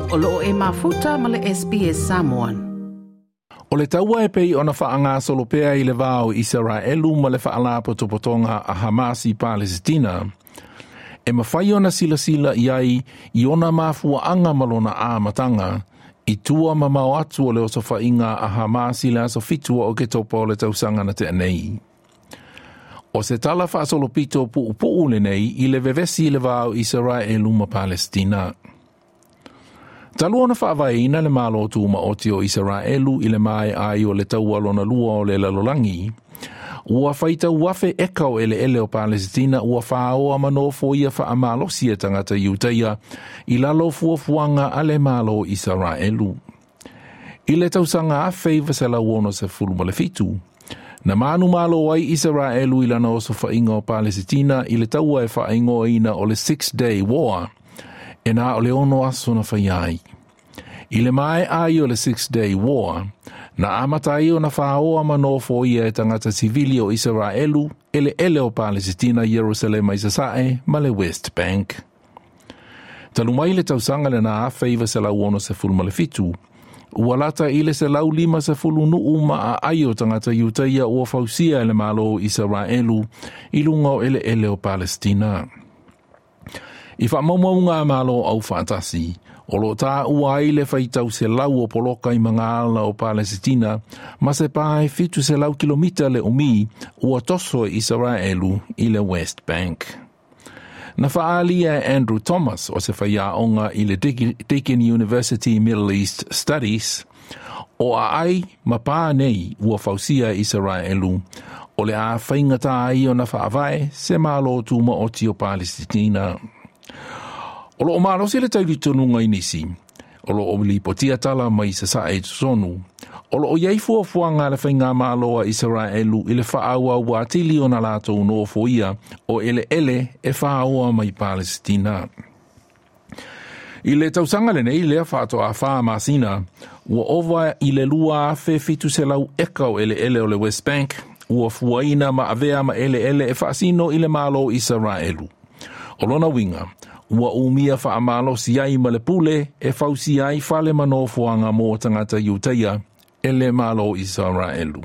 O loo e mafuta ma le SBS Samoan. O le taua e pei ona faagasolo pea i le va o Isaraelu ma le faalapotopotoga a Hamas i Palesitina, e mafai ona silasila i ai i ona mafuaaga ma lona amataga, i tua mamao atu o le osofaiga a Hamas i le aso 7 o Oketopa o le tausaga na tea nei. O se tala faasolopito puupuu lenei i le vevesi i le va o Isaraelu ma Palesitina. Talu ona faavaeina le Malo Tumaoti o Isaraelu i le maea ai o le taua lona lua o le lalolagi, ua faitau afe eka o eleele o Palesitina ua faoa ma nofoia faamalosi e tagata Iutaia i lalo o fuafuaga a le Malo o Isaraelu. I le tausaga 1967, na manumalo ai Isaraelu i lana osofaiga o Palesitina i le taua e faaigoaina o le Six Day War, e na o le 6 aso na faia ai. I le maea ai o le Six Day War, na amata ai ona faoa ma nofoia e tagata sivili o Isaraelu eleele o Palesitina i Ierusalema i Sasae ma le West Bank. Talu mai le tausaga lena 1967, ua lata i le 150 nuu ma aai o tagata Iutaia ua fausia e le Malo o Isaraelu i luga o eleele o Palesitina. I faamaumauga a Malo Aufaatasi, o loo taua ai le faitau 100 o poloka i magaala o Palesitina ma se pae 700 kilomita le umi ua toso e Isaraelu i le West Bank. Na faaalia e Andrew Thomas o se faiaoga i le Deakin University Middle East Studies, o aai ma pā nei ua fausia e Isaraelu, o le a faigata ai ona faavae se Malo Tumaoti o Palesitina. O loo malosi le talitonuga i nisi, o loo lipotia tala mai Sasae i totonu, o loo i ai fuafuaga a le faigamalo a Isaraelu i le faaauau atili ona latou nofoia o eleele e faoa mai Palesitina. I le tausaga lenei lea faatoa 4 masina, ua ova i le 2,700 eka o eleele o le West Bank, ua fuaina ma avea ma eleele e faasino i le Malo o Isaraelu. O lona uiga, ua umia faamalosi ai ma le pule e fausia ai fale ma nofoaga mo tagata Iutaia e le Malo o Isaraelu.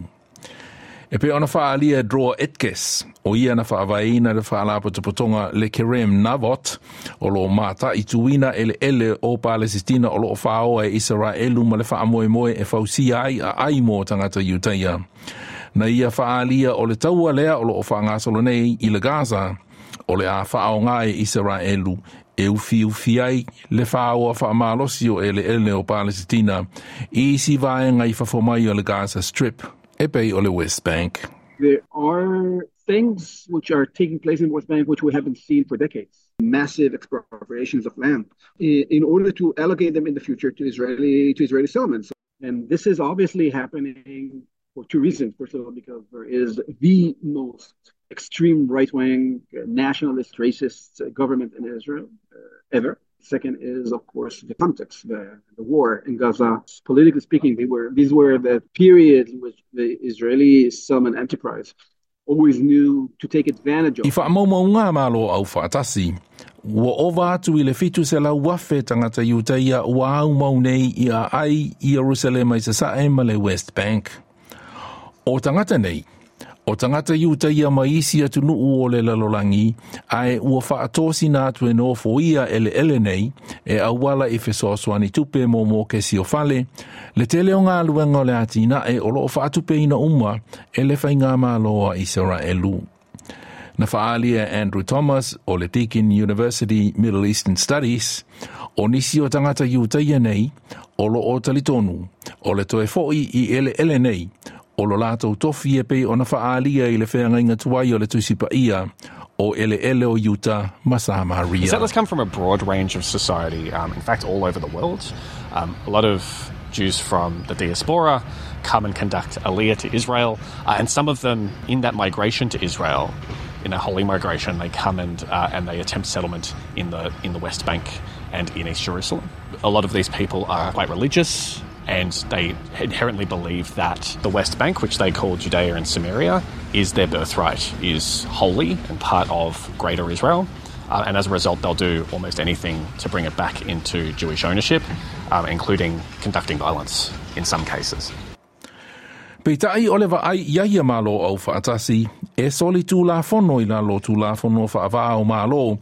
E pei ona faaalia e Dror Etkes, o ia na faavaeina le faalapotopotoga le Kerem Navot, o loo mataituina eleele o Palesitina o loo faoa e Isaraelu ma le faamoemoe e fausia ai aai mo tagata Iutaia. Na ia faaalia o le taua lea o loo faagasolo nei i le Gaza, o le a faaoga e Isaraelu e ufiufi ai le faoa faamalosi o eleele o Palesitina i isi vaega i fafo mai o le Gaza Strip, e pei o le West Bank. There are things which are taking place in West Bank which we haven't seen for decades. Massive expropriations of land in order to allocate them in the future to Israeli settlements. And this is obviously happening for two reasons. First of all, because there is the most extreme right-wing, nationalist, racist government in Israel ever. Second is, of course, the context, the war in Gaza. Politically speaking, these were the periods in which the Israeli settlement enterprise always knew to take advantage of. I faamaumauga a Malo Aufaatasi, ua ova atu i le 700,000 tagata Iutaia ua aumau nei i aai i Ierusalema i Sasae ma le West Bank. O tagata nei, o tagata Iutaia mai isi atunuu o le lalolagi, ae ua faatosina atu e nofoia eleele nei e auala i fesoasoani tupe mo mokesi o fale, le tele o galuega o le atinae o loo faatupeina uma e le faigamalo a Isaraelu. Na faaalia e Andrew Thomas o le Deakin University Middle Eastern Studies, o nisi o tagata Iutaia nei, o loo talitonu, o le toe foi i eleele nei, o lo latou tofi e pei ona faaalia i le feagaiga tuai o le Tusi Paia o eleele o Iuta ma Samaria. The settlers come from a broad range of society, in fact all over the world. A lot of Jews from the diaspora come and conduct aliyah to Israel, and some of them in that migration to Israel, in a holy migration, they come and they attempt settlement in the West Bank and in East Jerusalem. A lot of these people are quite religious, and they inherently believe that the West Bank, which they call Judea and Samaria, is their birthright, is holy and part of Greater Israel. And as a result, they'll do almost anything to bring it back into Jewish ownership, including conducting violence in some cases. Peitai o le vaai ia ia malo au whaatasi, e soli tūlafono i lalo tūlafono whaavā o malo,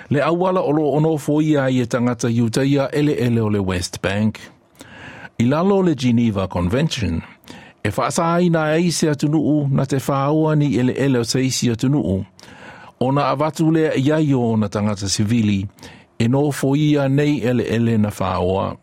le auala o lo ono foia i e tangata Iutaia ele ele o le West Bank. I lalo le Geneva Convention, e whaasaina ai se atunuu na te whaoa ni ele ele o se isi atunuu, ona avatu lea ia i o na tangata sivili, e no foia nei ele ele na whaoa.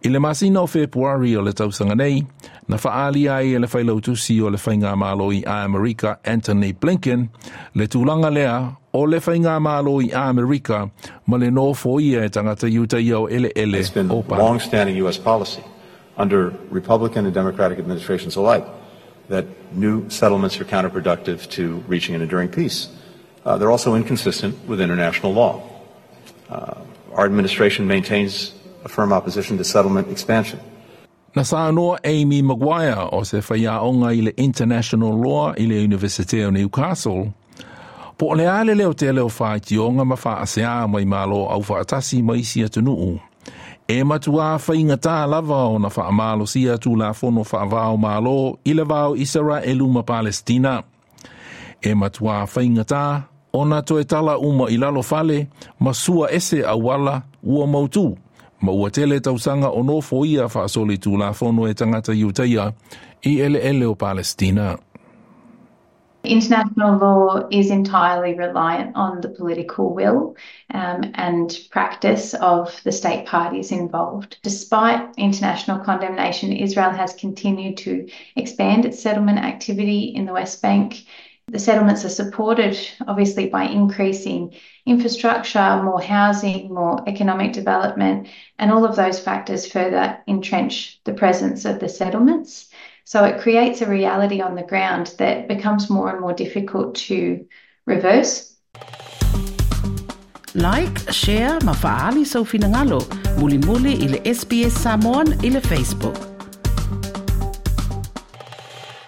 I le masina o Februari o le tausanga nei, na whaali ai e le whailautusi o le whainga malo i Amerika Anthony Blinken, le tūlanga lea o le whainga malo i Amerika ma le no foia e tangata Iutaia o ele ele It's been o pa. long-standing U.S. policy under Republican and Democratic administrations alike that new settlements are counterproductive to reaching an enduring peace. They're also inconsistent with international law. Our administration maintains a firm opposition to settlement expansion. Na saanoa Amy Maguire o se whaiaonga i le International Law i le University o Newcastle. Po o le ale leo te leo whaetionga ma whaasea mai malo au whaatasi mai isi atunuu. E matua whainga tā lava o na whaamalo sia tū la fono whaavao malo i le vao Israelu ma Palestina. E matua whainga tā o na toe tala uma i lalo fale ma sua ese awala ua mautu. Ma ua tele tausanga o nofo ia whaasoli tū la fono e tangata Iutaia i ele ele o Palestina. International law is entirely reliant on the political will and practice of the state parties involved. Despite international condemnation, Israel has continued to expand its settlement activity in the West Bank. The settlements are supported, obviously, by increasing infrastructure, more housing, more economic development, and all of those factors further entrench the presence of the settlements. So it creates a reality on the ground that becomes more and more difficult to reverse. Like, share, ma faali sau finangalo, muli muli i le SBS Samoan i le Facebook.